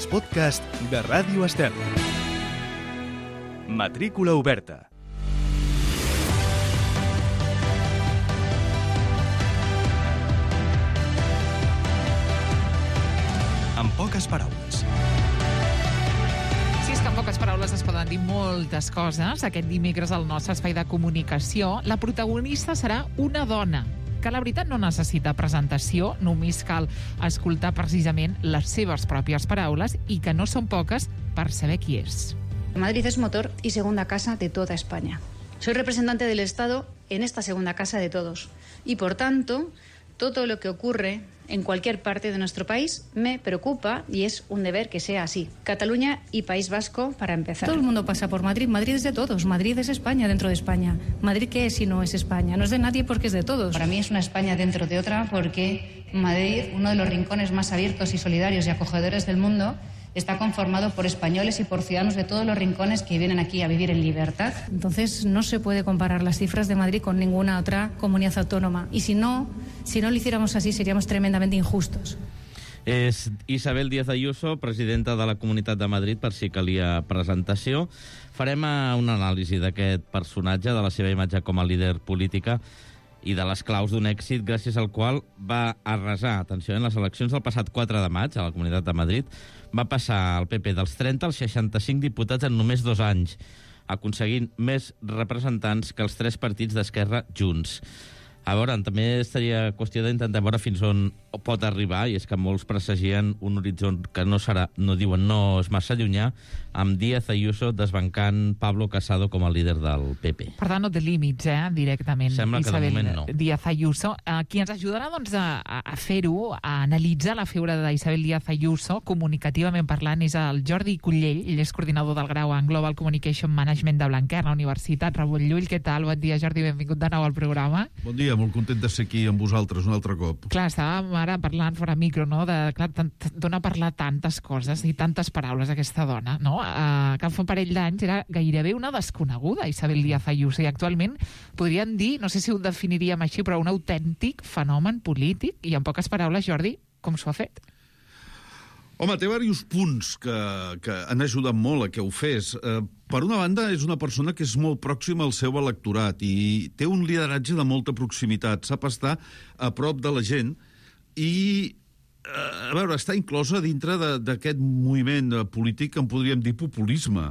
els podcasts de Ràdio Estel. Matrícula oberta. En poques paraules. Sí, és que en poques paraules es poden dir moltes coses. Aquest dimecres al nostre espai de comunicació, la protagonista serà una dona, que la veritat no necessita presentació, només cal escoltar precisament les seves pròpies paraules i que no són poques per saber qui és. Madrid es motor y segunda casa de toda España. Soy representante del Estado en esta segunda casa de todos y, por tanto, todo lo que ocurre en cualquier parte de nuestro país me preocupa y es un deber que sea así. Cataluña y País Vasco, para empezar. Todo el mundo pasa por Madrid. Madrid es de todos. Madrid es España dentro de España. ¿Madrid qué es si no es España? No es de nadie porque es de todos. Para mí es una España dentro de otra porque Madrid, uno de los rincones más abiertos y solidarios y acogedores del mundo, está conformado por españoles y por ciudadanos de todos los rincones que vienen aquí a vivir en libertad. Entonces no se puede comparar las cifras de Madrid con ninguna otra comunidad autónoma. Y si no lo hiciéramos así, seríamos tremendamente injustos. És Isabel Díaz Ayuso, presidenta de la Comunitat de Madrid, per si calia presentació. Farem una anàlisi d'aquest personatge, de la seva imatge com a líder política i de les claus d'un èxit gràcies al qual va arrasar, atenció, en les eleccions del passat 4 de maig a la Comunitat de Madrid, va passar el PP dels 30 als 65 diputats en només 2 anys, aconseguint més representants que els 3 partits d'Esquerra junts. A veure, també estaria qüestió d'intentar veure fins on pot arribar, i és que molts presagien un horitzó que no serà, no diuen, no és massa llunyà, amb Díaz Ayuso desbancant Pablo Casado com a líder del PP. Per tant, no té límits, directament. Sembla que de moment no. Díaz Ayuso. Qui ens ajudarà doncs, a fer-ho, a analitzar la figura d'Isabel Díaz Ayuso, comunicativament parlant, és el Jordi Cullell. Ell és coordinador del grau en Global Communication Management de Blanquer, la Universitat Ramon Llull. Què tal? Bon dia, Jordi, benvingut de nou al programa. Bon dia, molt content de ser aquí amb vosaltres un altre cop. Clar, estàvem ara parlant fora micro, no?, d'on ha parlat tantes coses i tantes paraules aquesta dona, no? Que fa un parell d'anys era gairebé una desconeguda, Isabel Díaz Ayuso, i actualment podríem dir, no sé si ho definiríem així, però un autèntic fenomen polític, i en poques paraules, Jordi, com s'ho ha fet? Home, té diversos punts que han ajudat molt a que ho fes. Per una banda, és una persona que és molt pròxima al seu electorat i té un lideratge de molta proximitat, sap estar a prop de la gent i, a veure, està inclosa dintre d'aquest moviment polític que en podríem dir populisme.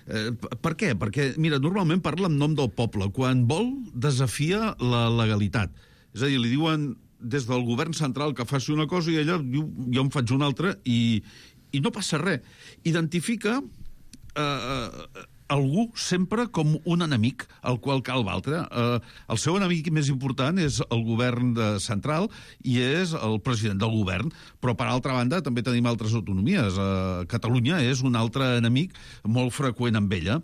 Per què? Perquè, mira, normalment parla en nom del poble. Quan vol, desafia la legalitat. És a dir, li diuen des del govern central que faci una cosa i ella diu, jo en faig una altra i no passa res. Identifica algú sempre com un enemic al qual cal batre. El seu enemic més important és el govern central i és el president del govern, però per altra banda també tenim altres autonomies. Catalunya és un altre enemic molt freqüent amb ella.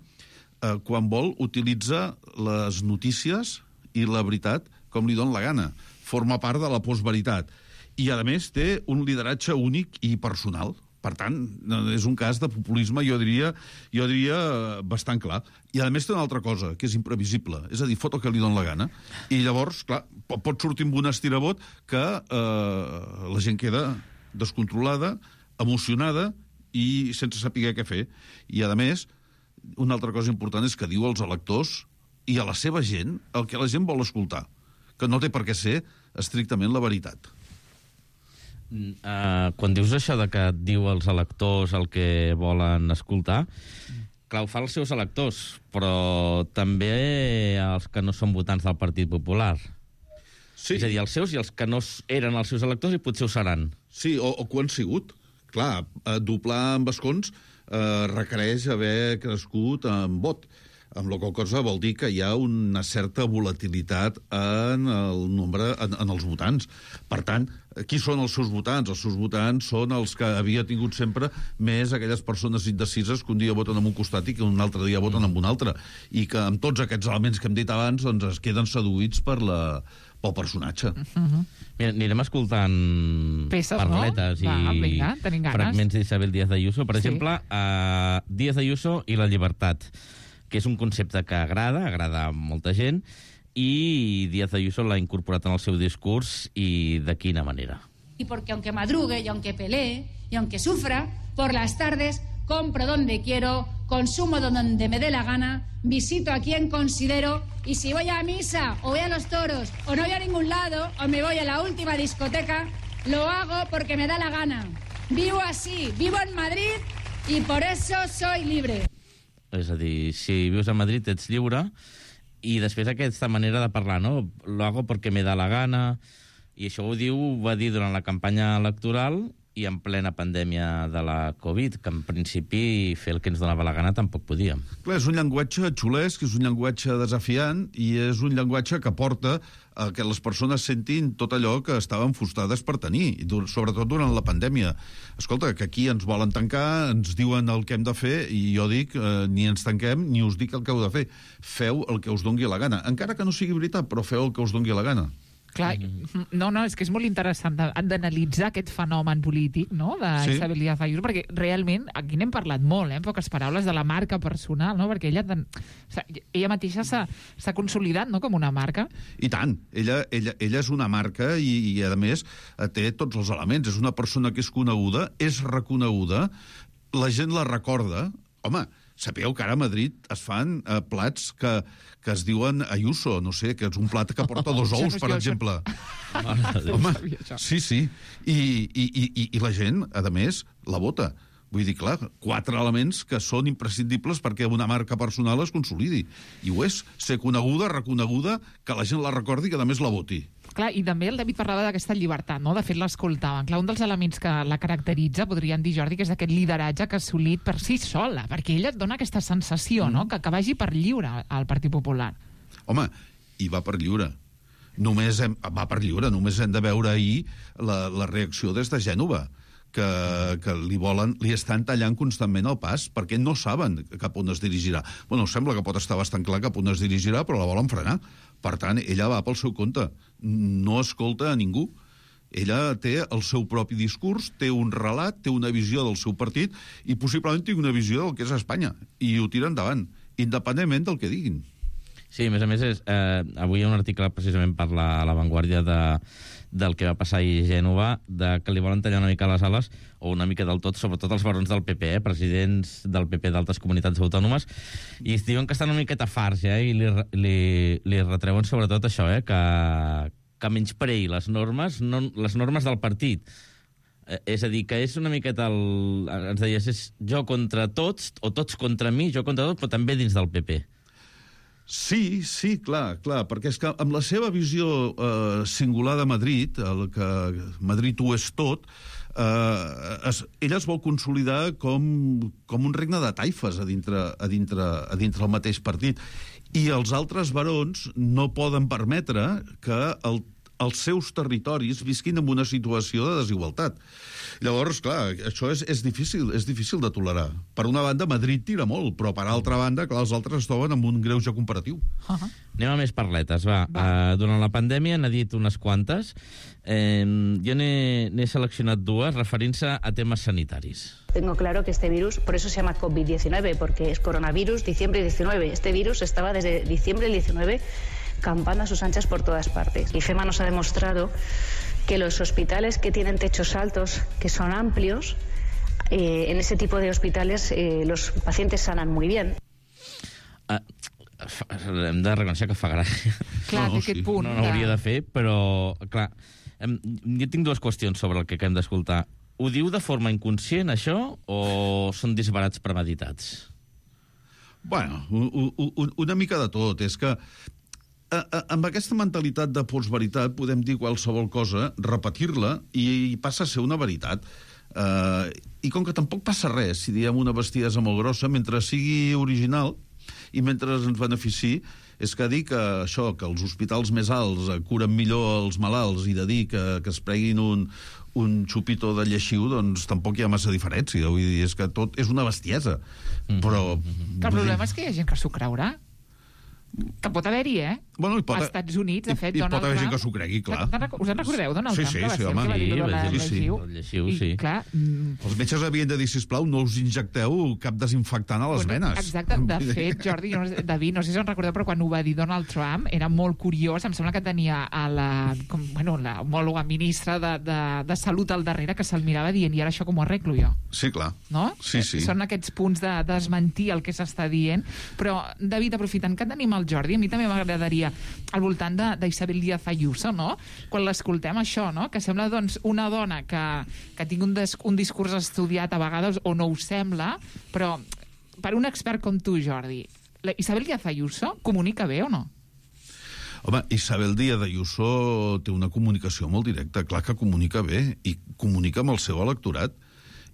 Quan vol, utilitza les notícies i la veritat com li dona la gana. Forma part de la postveritat. I, a més, té un lideratge únic i personal. Per tant, és un cas de populisme, jo diria bastant clar. I, a més, té una altra cosa, que és imprevisible. És a dir, fot el que li dona la gana. I llavors, clar, pot sortir amb un estirabot que la gent queda descontrolada, emocionada i sense saber què fer. I, a més, una altra cosa important és que diu als electors i a la seva gent el que la gent vol escoltar, que no té per què ser estrictament la veritat. Quan dius això de que diu als electors el que volen escoltar, clar, ho fa als seus electors, però també als que no són votants del Partit Popular. Sí. És a dir, els seus i els que no eren els seus electors i potser ho seran. Sí, o que ho han sigut. Clar, doblar amb escons requereix haver crescut en vot. Amb la qual cosa vol dir que hi ha una certa volatilitat en el nombre, en els votants. Per tant, qui són els seus votants? Els seus votants són els que havia tingut sempre més aquelles persones indecises que un dia voten en un costat i que un altre dia voten en un altre. I que amb tots aquests elements que hem dit abans doncs es queden seduïts pel personatge. Mira, anirem escoltant peces, parletes, no? i fragments d'Isabel Díaz Ayuso. Per exemple, Díaz Ayuso i la llibertat, que és un concepte que agrada a molta gent, i Díaz Ayuso l'ha incorporat en el seu discurs, i de quina manera. Y porque aunque madrugue y aunque pelee y aunque sufra, por las tardes, compro donde quiero, consumo donde me dé la gana, visito a quien considero, y si voy a misa o voy a los toros o no voy a ningún lado o me voy a la última discoteca, lo hago porque me da la gana. Vivo así, vivo en Madrid y por eso soy libre. És a dir, si vius a Madrid ets lliure, i després aquesta manera de parlar, no? Lo hago porque me da la gana, i això ho va dir durant la campanya electoral i en plena pandèmia de la Covid, que en principi fer el que ens donava la gana tampoc podíem. Clar, és un llenguatge xulesc, és un llenguatge desafiant i és un llenguatge que porta a que les persones sentin tot allò que estaven frustrades per tenir, sobretot durant la pandèmia. Escolta, que aquí ens volen tancar, ens diuen el que hem de fer, i jo dic, ni ens tanquem ni us dic el que heu de fer. Feu el que us dongui la gana. Encara que no sigui veritat, però feu el que us dongui la gana. Clar, no, és que és molt interessant d'analitzar aquest fenomen polític, no?, d'Isabel Díaz Ayuso, perquè realment aquí n'hem parlat molt, en poques paraules, de la marca personal, no?, perquè ella mateixa s'ha consolidat, no?, com una marca. I tant, ella és una marca i a més té tots els elements. És una persona que és coneguda, és reconeguda, la gent la recorda. Home, sapeu que ara a Madrid es fan plats que es diuen Ayuso, no sé, que és un plat que porta 2 ous, per exemple. Home, sí. I la gent, a més, la vota. Vull dir, clar, 4 elements que són imprescindibles perquè una marca personal es consolidi. I ho és, ser coneguda, reconeguda, que la gent la recordi i que, a més, la voti. Clar, i també el David parlava d'aquesta llibertat, no?, de fet l'escoltaven. Clar, un dels elements que la caracteritza, podríem dir, Jordi, que és aquest lideratge que ha assolit per si sola, perquè ella et dona aquesta sensació, no?, que vagi per lliure al Partit Popular. Home, i va per lliure. Només hem de veure ahir la reacció des de Gènova, que li estan tallant constantment el pas perquè no saben cap on es dirigirà. Bueno, sembla que pot estar bastant clar cap on es dirigirà, però la volen frenar. Per tant, ella va pel seu compte. No escolta a ningú. Ella té el seu propi discurs, té un relat, té una visió del seu partit i possiblement té una visió del que és Espanya. I ho tira endavant, independentment del que diguin. Sí, a més, avui hi ha un article precisament per la Vanguardia del que va passar ahir a Gènova, que li volen tallar una mica les ales, o una mica del tot, sobretot els barons del PP, presidents del PP d'altres comunitats autònomes, i es diuen que estan una miqueta farts, i li retreuen sobretot això, que menyspreï les normes del partit. És a dir, que és una miqueta ens deies, és jo contra tots, o tots contra mi, jo contra tots, però també dins del PP. Sí, clar, perquè és que amb la seva visió singular de Madrid, el que Madrid ho és tot, ella es vol consolidar com un regne de taifes a dintre el mateix partit. I els altres barons no poden permetre que els seus territoris visquin en una situació de desigualtat. Llavors, clar, això és difícil de tolerar. Per una banda, Madrid tira molt, però per altra banda, clar, els altres es troben amb un greuge comparatiu. Anem a més parletes, va. Durant la pandèmia n'ha dit unes quantes. Jo n'he seleccionat 2 referint-se a temes sanitaris. Tengo claro que este virus, por eso se llama COVID-19, porque es coronavirus diciembre 19. Este virus estaba desde diciembre del 19 campando a sus anchas por todas partes. IFEMA nos ha demostrado que los hospitales que tienen techos altos, que son amplios, en ese tipo de hospitales los pacientes sanan muy bien. Hem de reconèixer que fa gràcia. Clar, aquest punt. No hauria de fer, però, clar, jo tinc 2 qüestions sobre el que hem d'escoltar. Ho diu de forma inconscient, això, o són disbarats premeditats? Bueno, una mica de tot. És que amb aquesta mentalitat de postveritat podem dir qualsevol cosa, repetir-la, i passa a ser una veritat. I com que tampoc passa res si diem una bestiesa molt grossa, mentre sigui original i mentre ens benefici, és que dir que això, que els hospitals més alts curen millor els malalts, i de dir que es preguin un xupito de lleixiu, doncs tampoc hi ha massa diferència. Vull dir, és que tot és una bestiesa. Però... El problema és que hi ha gent que s'ho creurà. Que pot haver-hi, Bueno, als Estats Units, de fet, Donald Trump... I pot haver gent que s'ho cregui, clar. Us en recordeu, Donald Trump? Sí, que va ser el home. que va dir lo de la llegiu? Sí. I, clar... Els metges havien de dir, sisplau, no us injecteu cap desinfectant a les venes. Exacte. De fet, Jordi, David, no sé si us en recordeu, però quan ho va dir Donald Trump era molt curiós. Em sembla que tenia a la homòloga ministra de Salut al darrere que se'l mirava dient, i ara això com ho arreglo jo? Sí, clar. No? Sí. Són aquests punts de desmentir el que s'està dient. Però, David, aprofitant que tenim el Jordi, a mi també m'agradaria, al voltant d'Isabel Díaz Ayuso, no? Quan l'escoltem això, no? Que sembla, doncs, una dona que tingui un discurs estudiat a vegades, o no ho sembla, però per un expert com tu, Jordi, Isabel Díaz Ayuso comunica bé o no? Home, Isabel Díaz Ayuso té una comunicació molt directa. Clar que comunica bé, i comunica amb el seu electorat.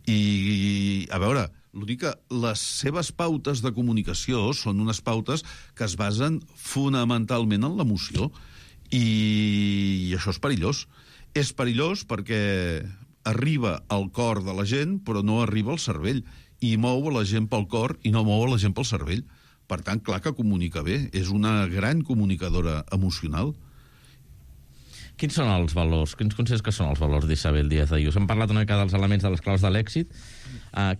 I, a veure, l'únic que les seves pautes de comunicació són unes pautes que es basen fonamentalment en l'emoció. I això és perillós. És perillós perquè arriba al cor de la gent, però no arriba al cervell. I mou a la gent pel cor i no mou a la gent pel cervell. Per tant, clar que comunica bé. És una gran comunicadora emocional. Quins són els valors? Quins considers que són els valors d'Isabel Díaz Ayuso? Hem parlat una mica dels elements de les claus de l'èxit.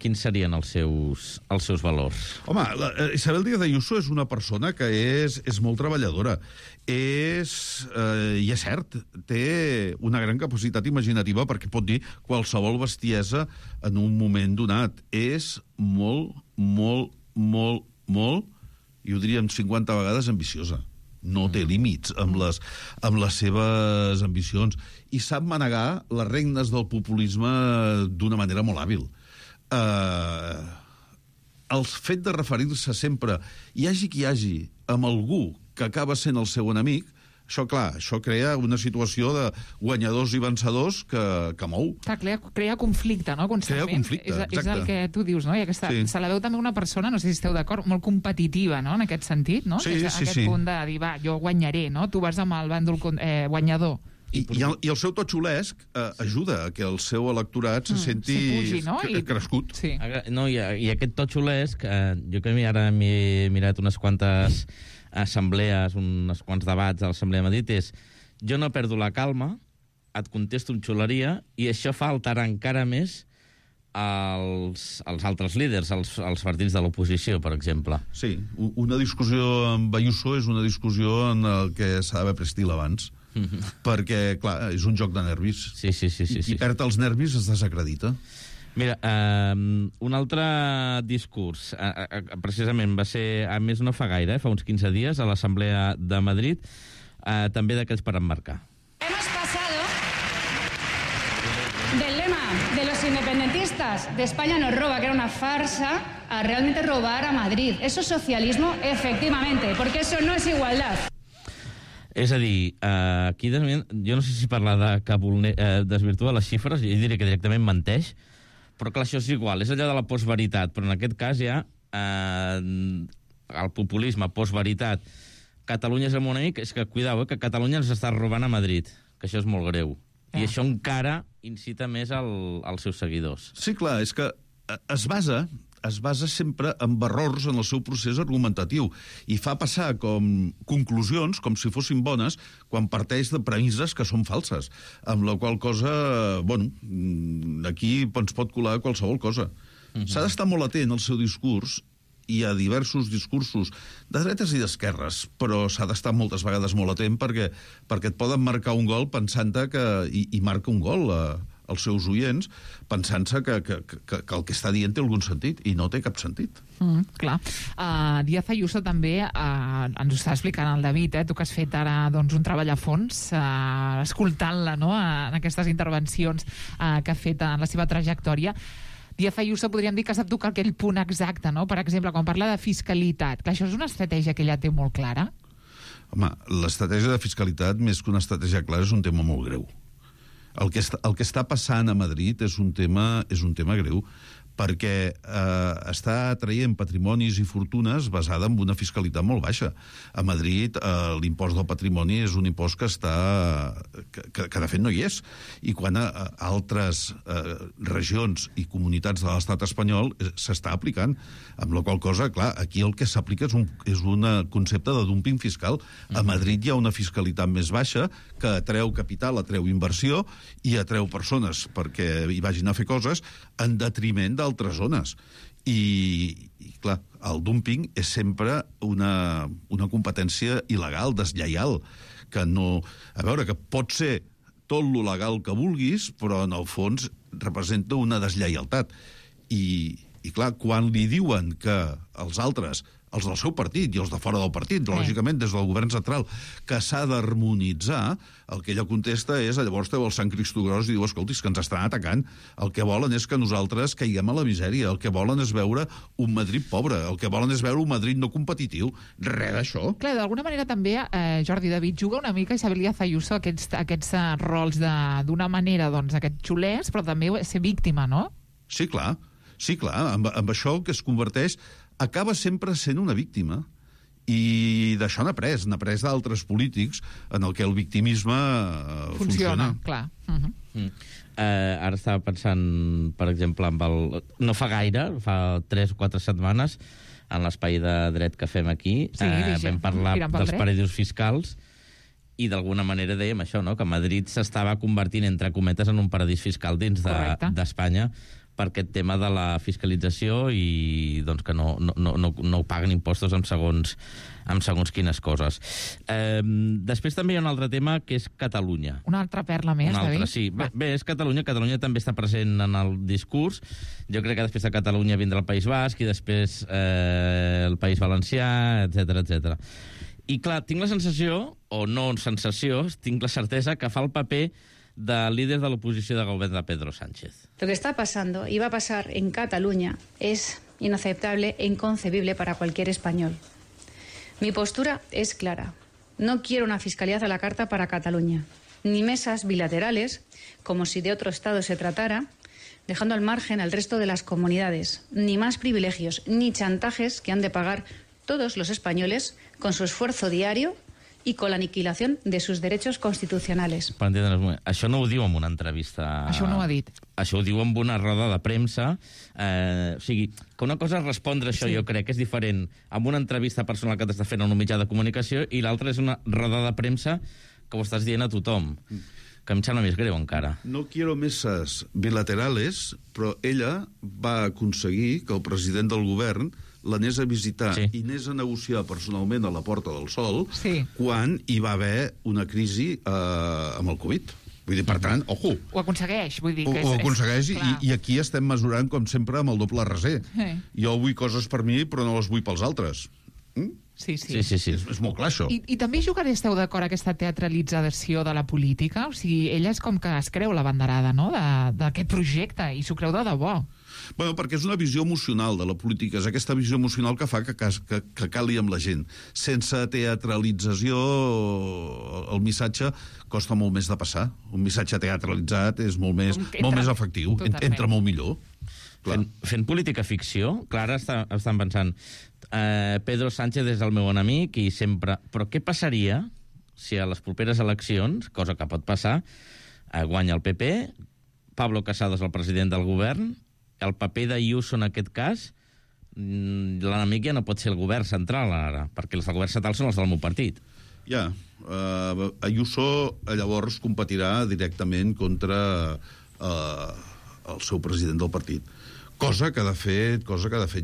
Quins serien els seus valors? Home, Isabel Díaz Ayuso és una persona que és molt treballadora. I és cert, té una gran capacitat imaginativa perquè pot dir qualsevol bestiesa en un moment donat. És molt, i ho diríem 50 vegades, ambiciosa. No té límits amb les seves ambicions. I sap manegar les regnes del populisme d'una manera molt hàbil. El fet de referir-se sempre, hi hagi qui hi hagi, amb algú que acaba sent el seu enemic, això, clar, això crea una situació de guanyadors i vencedors que mou. Clar, crea conflicte, no? Constantment. Crea conflicte, exacte. És el que tu dius, no? I se la veu també una persona, no sé si esteu d'acord, molt competitiva, no?, en aquest sentit, no? Sí. Aquest punt de dir, va, jo guanyaré, no? Tu vas amb el bàndol guanyador. I el seu to xulesc ajuda a que el seu electorat se senti pugi, no? crescut. Sí. No, i aquest to xulesc, jo que ara m'he mirat unes quantes assemblees, uns quants debats a l'Assemblea de Madrid, és jo no perdo la calma, et contesto amb xuleria, i això fa alterar encara més els altres líders, els partits de l'oposició, per exemple. Sí, una discussió amb Ayuso és una discussió en el que s'ha d'haver prestil abans, perquè, clar, és un joc de nervis. Sí. Qui perd els nervis es desacredita. Mira, un altre discurs, precisament va ser, a més no fa gaire, fa uns 15 dies, a l'Assemblea de Madrid, també d'aquells per emmarcar. Hemos pasado del lema de los independentistas de España nos roba, que era una farsa, a realmente robar a Madrid. Eso es socialismo, efectivamente, porque eso no es igualdad. És a dir, aquí jo no sé si parlar de que desvirtua les xifres, jo diria que directament menteix, però clar, això és igual, és allò de la postveritat, però en aquest cas ja el populisme, postveritat, Catalunya és el meu enemic, és que, cuidao, que Catalunya ens està robant a Madrid, que això és molt greu. I això encara incita més als seus seguidors. Sí, clar, és que es basa sempre en errors en el seu procés argumentatiu i fa passar com conclusions com si fossin bones quan parteix de premisses que són falses, amb la qual cosa, bueno, aquí ens pot colar qualsevol cosa. S'ha d'estar molt atent al seu discurs. Hi ha diversos discursos de dretes i d'esquerres, però s'ha d'estar moltes vegades molt atent perquè et poden marcar un gol pensant-te i marca un gol als seus oients, pensant-se que el que està dient té algun sentit, i no té cap sentit. Clar. Díaz Ayuso també ens ho està explicant el David, tu que has fet ara un treball a fons, escoltant-la, no?, en aquestes intervencions que ha fet en la seva trajectòria. Díaz Ayuso podríem dir que sap tocar aquell punt exacte, no? Per exemple, quan parla de fiscalitat, que això és una estratègia que ella té molt clara. Home, l'estratègia de fiscalitat, més que una estratègia clara, és un tema molt greu. El que està passant a Madrid és un tema greu, perquè està traient patrimonis i fortunes basada en una fiscalitat molt baixa. A Madrid l'impost del patrimoni és un impost que que de fet no hi és. I quan a altres regions i comunitats de l'estat espanyol s'està aplicant, amb la qual cosa, clar, aquí el que s'aplica és un concepte de dumping fiscal. A Madrid hi ha una fiscalitat més baixa que atreu capital, atreu inversió i atreu persones perquè hi vagin a fer coses en detriment d'altres zones. I clar, el dumping és sempre una competència il·legal, deslleial, que no... A veure, que pot ser tot lo legal que vulguis, però en el fons representa una deslleialtat. I clar, quan li diuen que els altres, els del seu partit i els de fora del partit, lògicament des del govern central, que s'ha d'harmonitzar, el que ella contesta és, llavors treu el Sant Cristo Gros i diu, escoltis, que ens estan atacant, el que volen és que nosaltres caiguem a la misèria, el que volen és veure un Madrid pobre, el que volen és veure un Madrid no competitiu, res d'això. Clar, d'alguna manera també, Jordi David, juga una mica Isabel Díaz Ayuso aquests rols d'una manera, doncs, aquests xulers, però també ser víctima, no? Sí, clar. Amb això que es converteix acaba sempre sent una víctima. I d'això n'ha après d'altres polítics en el que el victimisme funciona. Clar. Ara estava pensant, per exemple, no fa gaire, fa 3 o 4 setmanes, en l'espai de dret que fem aquí, vam parlar dels paradisos fiscals i d'alguna manera dèiem això, no? Que Madrid s'estava convertint, entre cometes, en un paradís fiscal dins d'Espanya, per aquest tema de la fiscalització i doncs, que no paguen impostos amb segons quines coses. Després també hi ha un altre tema, que és Catalunya. Una altra perla més, David? Sí. Bé, és Catalunya. Catalunya també està present en el discurs. Jo crec que després de Catalunya vindrà el País Basc i després el País Valencià, etc. I clar, tinc la sensació, o no sensació, tinc la certesa que fa el paper de líder de l'oposició de govern de Pedro Sánchez. Lo que está pasando y va a pasar en Cataluña es inaceptable e inconcebible para cualquier español. Mi postura es clara. No quiero una fiscalidad a la carta para Cataluña, ni mesas bilaterales, como si de otro Estado se tratara, dejando al margen al resto de las comunidades, ni más privilegios, ni chantajes que han de pagar todos los españoles con su esfuerzo diario i con la aniquilación de sus derechos constitucionales. Per entendre'ns, això no ho diu en una entrevista... Això no ho ha dit. Això ho diu en una roda de premsa. O sigui, que una cosa és respondre això, jo crec que és diferent amb una entrevista personal que t'està fent en un mitjà de comunicació i l'altra és una roda de premsa que ho estàs dient a tothom, que em sembla més greu encara. No quiero mesas bilaterales, però ella va aconseguir que el president del govern l'anés a visitar i anés a negociar personalment a la Porta del Sol quan hi va haver una crisi amb el Covid. Vull dir, per tant, ojo. Ho aconsegueix, vull dir que ho aconsegueix i aquí estem mesurant, com sempre, amb el doble raser. Jo vull coses per mi, però no les vull pels altres. Sí. És molt clar, això. I també esteu d'acord aquesta teatralització de la política? O sigui, ella és com que es creu la banderada, no?, d'aquest projecte, i s'ho creu de debò. Bueno, perquè és una visió emocional de la política, és aquesta visió emocional que fa que cali amb la gent. Sense teatralització, el missatge costa molt més de passar. Un missatge teatralitzat és molt més efectiu, entra molt millor. Fent política ficció, clar, estan pensant Pedro Sánchez és el meu enemic i sempre... Però què passaria si a les properes eleccions, cosa que pot passar, guanya el PP, Pablo Casado és el president del govern, el paper d'Ayuso en aquest cas, l'enemic ja no pot ser el govern central ara, perquè els del govern central són els del meu partit. Ja, Ayuso llavors competirà directament contra el seu president del partit. Cosa que de fet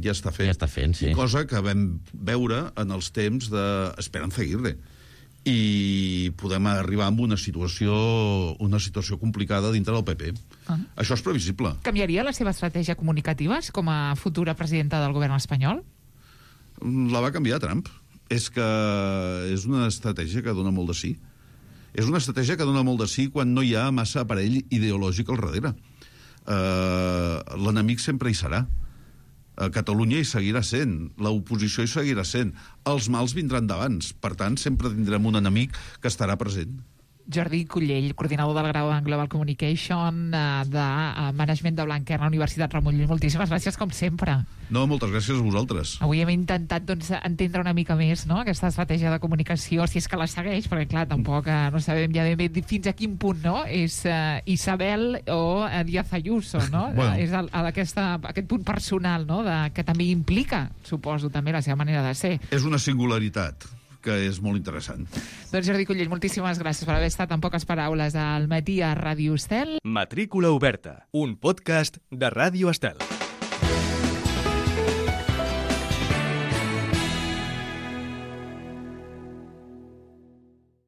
ja està fent. Ja està fent, sí. Cosa que vam veure en els temps d'Esperanza Aguirre. I podem arribar a una situació complicada dintre del PP. Això és previsible. Canviaria la seva estratègia comunicativa com a futura presidenta del govern espanyol? La va canviar Trump. És que és una estratègia que dona molt de sí. És una estratègia que dona molt de sí quan no hi ha massa aparell ideològic al darrere. L'enemic sempre hi serà. A Catalunya hi seguirà sent, l'oposició hi seguirà sent, els mals vindran d'abans, per tant sempre tindrem un enemic que estarà present. Jordi Cullell, coordinador del grau en Global Communication de Management de Blanquer a la Universitat Ramon Llull. Moltíssimes gràcies, com sempre. No, moltes gràcies a vosaltres. Avui hem intentat entendre una mica més, no?, aquesta estratègia de comunicació, si és que la segueix, perquè, clar, tampoc no sabem ja ben bé fins a quin punt, no?, és Isabel o Díaz Ayuso, no? Bueno. És aquest punt personal, no?, que també implica, suposo, també la seva manera de ser. És una singularitat que és molt interessant. Doncs Jordi Cullell, moltíssimes gràcies per haver estat en poques paraules al matí a Ràdio Estel. Matrícula oberta, un podcast de Ràdio Estel.